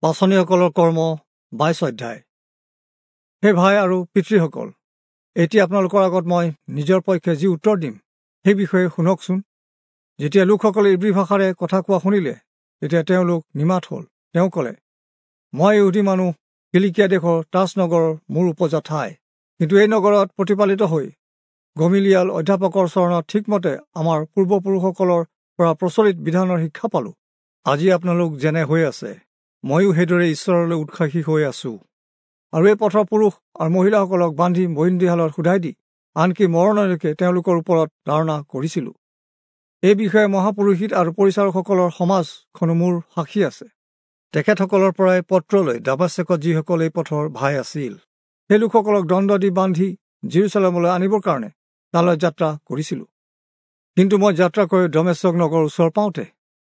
পাঁচনিসকলৰ কৰ্ম 22 অধ্যায়। হে ভাই আৰু পিতৃসকল, এতিয়া আপোনালোকৰ আগত মই নিজৰ পক্ষে যি উত্তৰ দিম সেই বিষয়ে শুনকচোন। যেতিয়া লোকসকলে ইব্ৰী ভাষাৰে কথা কোৱা শুনিলে, তেতিয়া তেওঁলোক নিমাত হ'ল। তেওঁ ক'লে, মই ইহুদী মানুহ, কিলিকিয়া দেশৰ তাচ নগৰৰ মোৰ উপজা ঠাই, কিন্তু এই নগৰত প্ৰতিপালিত হৈ গমিলিয়াল অধ্যাপকৰ চৰণত ঠিকমতে আমাৰ পূৰ্বপুৰুষসকলৰ পৰা প্ৰচলিত বিধানৰ শিক্ষা পালোঁ। আজি আপোনালোক যেনে হৈ আছে, ময়ো সেইদৰে ঈশ্বৰলৈ উৎসাহী হৈ আছোঁ। আৰু এই পথৰ পুৰুষ আৰু মহিলাসকলক বান্ধি বন্দীশালত সোধাই দি আনকি মৰণলৈকে তেওঁলোকৰ ওপৰত ধাৰণা কৰিছিলোঁ। এই বিষয়ে মহাপুৰোহিত আৰু পৰিচাৰকসকলৰ সমাজখনো মোৰ সাক্ষী আছে। তেখেতসকলৰ পৰাই পত্ৰলৈ দামাছেকত যিসকল এই পথৰ ভাই আছিল, সেই লোকসকলক দণ্ড দি বান্ধি জিৰচালেমলৈ আনিবৰ কাৰণে তালৈ যাত্ৰা কৰিছিলোঁ। কিন্তু মই যাত্ৰা কৰি দমেচক নগৰৰ ওচৰ পাওঁতে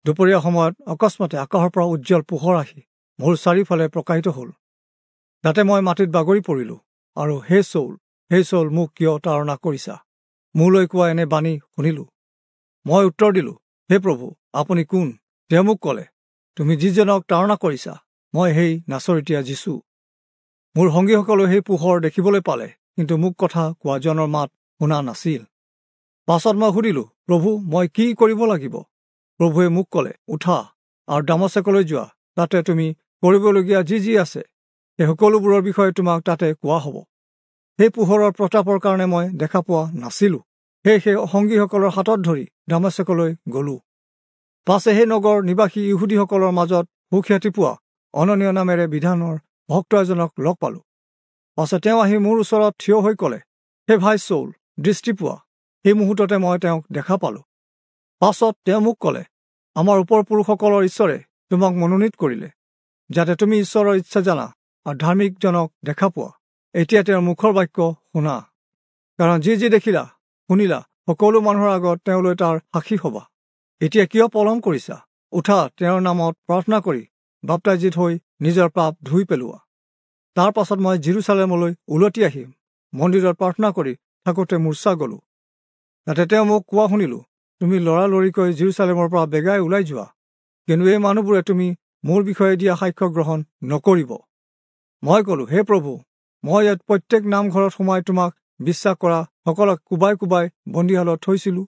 দুপৰীয়া সময়ত অকস্মাতে আকাশৰ পৰা উজ্জ্বল পোহৰ আহি মোৰ চাৰিওফালে প্ৰকাশিত হ'ল। তাতে মই মাটিত বাগৰি পৰিলোঁ আৰু হে চৌল, হে চৌল, মোক কিয় তাড়না কৰিছা মোলৈ কোৱা এনে বাণী শুনিলোঁ। মই উত্তৰ দিলোঁ, হে প্ৰভু, আপুনি কোন? তেওঁ মোক ক'লে, তুমি যিজনক তাড়না কৰিছা, মই সেই নাচৰিতীয়া যীচু। মোৰ সংগীসকলেও সেই পোহৰ দেখিবলৈ পালে, কিন্তু মোক কথা কোৱাজনৰ মাত শুনা নাছিল। পাছত মই সুধিলোঁ, প্ৰভু, মই কি কৰিব লাগিব? প্ৰভুৱে মোক ক'লে, উঠা আৰু দামাছেকলৈ যোৱা, তাতে তুমি কৰিবলগীয়া যি যি আছে সেই সকলোবোৰৰ বিষয়ে তোমাক তাতে কোৱা হ'ব। সেই পোহৰৰ প্ৰতাপৰ কাৰণে মই দেখা পোৱা নাছিলোঁ। সেই সংগীসকলৰ হাতত ধৰি দামাছেকলৈ গ'লোঁ। পাছে সেই নগৰ নিবাসী ইহুদীসকলৰ মাজত সুখ্যাতি পোৱা অননীয় নামেৰে বিধানৰ ভক্ত এজনক লগ পালোঁ। পাছে তেওঁ আহি মোৰ ওচৰত থিয় হৈ ক'লে, হে ভাই চৌল, দৃষ্টি পোৱা। সেই মুহূৰ্ততে মই তেওঁক দেখা পালোঁ। পাছত তেওঁ মোক ক'লে, আমাৰ ওপৰ পুৰুষসকলৰ ঈশ্বৰে তোমাক মনোনীত কৰিলে, যাতে তুমি ঈশ্বৰৰ ইচ্ছা জানা আৰু ধাৰ্মিকজনক দেখা পোৱা। এতিয়া তেওঁৰ মুখৰ বাক্য শুনা, কাৰণ যি যি দেখিলা শুনিলা সকলো মানুহৰ আগত তেওঁলৈ তাৰ সাক্ষী হ'বা। এতিয়া কিয় পলম কৰিছা? উঠা, তেওঁৰ নামত প্ৰাৰ্থনা কৰি বাপ্তাইজিত হৈ নিজৰ পাপ ধুই পেলোৱা। তাৰ পাছত মই জিৰচালেমলৈ উলটি আহি মন্দিৰত প্ৰাৰ্থনা কৰি থাকোঁতে মূৰ্ছা গ'লোঁ। তাতে তেওঁ মোক কোৱা শুনিলোঁ, তুমি লৰালৰিকৈ জিৰচালেমৰ পৰা বেগাই ওলাই যোৱা, কিন্তু এই মানুহবোৰে তুমি মোৰ বিষয়ে দিয়া সাক্ষ্য গ্ৰহণ নকৰিব। মই ক'লোঁ, হে প্ৰভু, মই ইয়াত প্ৰত্যেক নামঘৰত সোমাই তোমাক বিশ্বাস কৰা সকলক কোবাই কোবাই বন্দীশালত থৈছিলোঁ,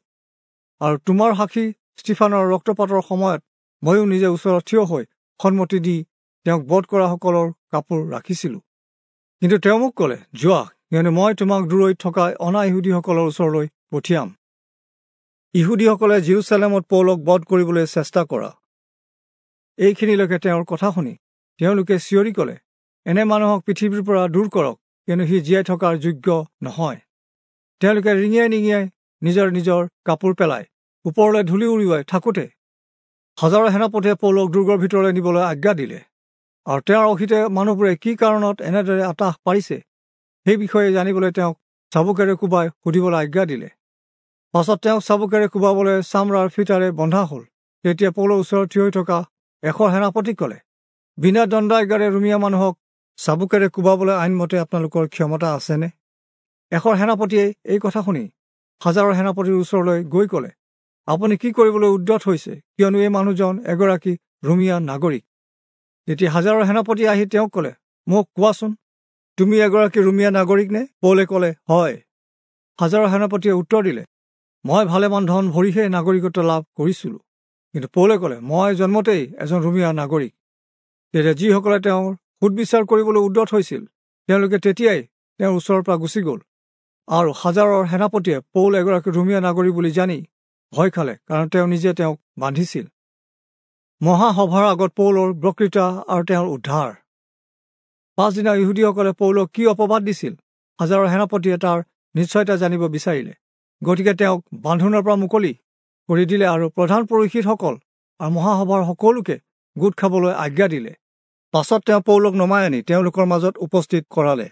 আৰু তোমাৰ সাক্ষী ষ্টিফানৰ ৰক্তপাতৰ সময়ত ময়ো নিজে ওচৰত থিয় হৈ সন্মতি দি তেওঁক বধ কৰাসকলৰ কাপোৰ ৰাখিছিলোঁ। কিন্তু তেওঁ মোক ক'লে, যোৱা, কিয়নো মই তোমাক দূৰৈত থকা অনা ইহুদীসকলৰ ওচৰলৈ পঠিয়াম। ইহুদীসকলে জিৰচালেমত পৌলক বধ কৰিবলৈ চেষ্টা কৰা। এইখিনিলৈকে তেওঁৰ কথা শুনি তেওঁলোকে চিঞৰি ক'লে, এনে মানুহক পৃথিৱীৰ পৰা দূৰ কৰক, কিয়নো সি জীয়াই থকাৰ যোগ্য নহয়। তেওঁলোকে ৰিঙিয়াই নিঙিয়াই নিজৰ নিজৰ কাপোৰ পেলাই ওপৰলৈ ধূলি উৰুৱাই থাকোঁতে হাজাৰৰ সেনাপতিয়ে পৌলক দুৰ্গৰ ভিতৰলৈ নিবলৈ আজ্ঞা দিলে। আৰু তেওঁৰ অহিতে মানুহবোৰে কি কাৰণত এনেদৰে আতাহ পাৰিছে সেই বিষয়ে জানিবলৈ তেওঁক চাবুকেৰে কোবাই সুধিবলৈ আজ্ঞা দিলে। পাছত তেওঁক চাবুকেৰে কোবাবলৈ চামৰাৰ ফিটাৰে বন্ধা হ'ল। তেতিয়া পৌলৰ ওচৰত থিয় হৈ থকা এশৰ সেনাপতিক ক'লে, বিনা দণ্ডাজ্ঞাৰে ৰুমীয়া মানুহক চাবুকেৰে কোবাবলৈ আইনমতে আপোনালোকৰ ক্ষমতা আছেনে? এশৰ সেনাপতিয়ে এই কথা শুনি হাজাৰৰ সেনাপতিৰ ওচৰলৈ গৈ ক'লে, আপুনি কি কৰিবলৈ উদ্যত হৈছে? কিয়নো এই মানুহজন এগৰাকী ৰুমীয়া নাগৰিক। তেতিয়া হাজাৰৰ সেনাপতি আহি তেওঁক ক'লে, মোক কোৱাচোন, তুমি এগৰাকী ৰুমীয়া নাগৰিক নে? পৌলে ক'লে, হয়। হাজাৰৰ সেনাপতিয়ে উত্তৰ দিলে, মই ভালেমান ধন ভৰিহে নাগৰিকত্ব লাভ কৰিছিলোঁ। কিন্তু পৌলে ক'লে, মই জন্মতেই এজন ৰুমীয়া নাগৰিক। তেতিয়া যিসকলে তেওঁৰ সুদবিচাৰ কৰিবলৈ উদ্যত হৈছিল, তেওঁলোকে তেতিয়াই তেওঁৰ ওচৰৰ পৰা গুচি গ'ল। আৰু হাজাৰৰ সেনাপতিয়ে পৌল এগৰাকী ৰুমীয়া নাগৰিক বুলি জানি ভয় খালে, কাৰণ তেওঁ নিজে তেওঁক বান্ধিছিল। মহাসভাৰ আগত পৌলৰ বক্তৃতা আৰু তেওঁৰ উদ্ধাৰ। পাছদিনা ইহুদীসকলে পৌলক কি অপবাদ দিছিল, হাজাৰৰ সেনাপতিয়ে তাৰ নিশ্চয়তা জানিব বিচাৰিলে। গতিকে তেওঁক বান্ধোনৰ পৰা মুকলি কৰি দিলে আৰু প্ৰধান পুৰোহিতসকল আৰু মহাসভাৰ সকলোকে গোট খাবলৈ আজ্ঞা দিলে। পাছত তেওঁ পৌলক নমাই আনি তেওঁলোকৰ মাজত উপস্থিত কৰালে।